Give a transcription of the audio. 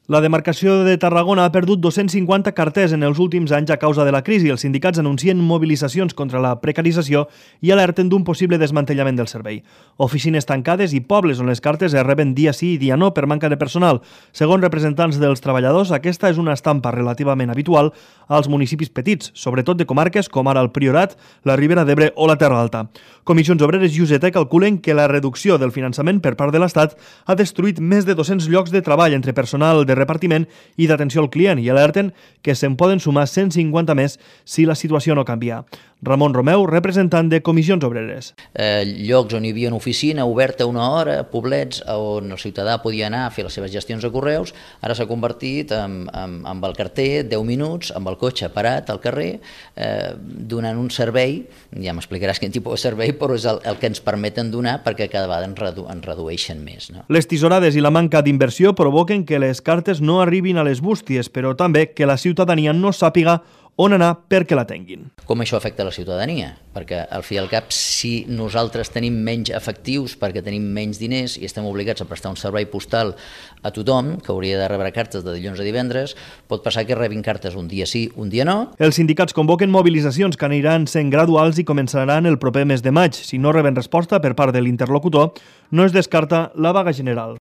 La demarcació de Tarragona ha perdut 250 carters en els últims anys a causa de la crisi. Els sindicats anuncien mobilitzacions contra la precarització i alerten d'un possible desmantellament del servei. Oficines tancades i pobles on les cartes es reben dia sí i dia no per manca de personal. Segons representants dels treballadors, aquesta és una estampa relativament habitual als municipis petits, sobretot de comarques com ara el Priorat, la Ribera d'Ebre o la Terra Alta. Comissions Obreres i UGT calculen que la reducció del finançament per part de l'Estat ha destruït més de 200 llocs de treball entre personal de repartiment i d'atenció al client i alerten que se'n poden sumar 150 més si la situació no canvia. Ramon Romeu, representant de Comissions Obreres. Llocs on hi havia una oficina oberta una hora, poblets on el ciutadà podia anar a fer les seves gestions de correus, ara s'ha convertit amb el carter 10 minuts, amb el cotxe parat al carrer, donant un servei, ja m'explicaràs quin tipus de servei, però és el que ens permeten donar perquè cada vegada ens redueixen més. No? Les tisorades i la manca d'inversió provoquen que les cartes no arribin a les bústies, però també que la ciutadania no sàpiga on anar perquè la tinguin. Com això afecta la ciutadania? Perquè al fi i al cap, si nosaltres tenim menys efectius perquè tenim menys diners i estem obligats a prestar un servei postal a tothom, que hauria de rebre cartes de dilluns a divendres, pot passar que rebin cartes un dia sí, un dia no. Els sindicats convoquen mobilitzacions que aniran sent graduals i començaran el proper mes de maig. Si no reben resposta per part de l'interlocutor, no es descarta la vaga general.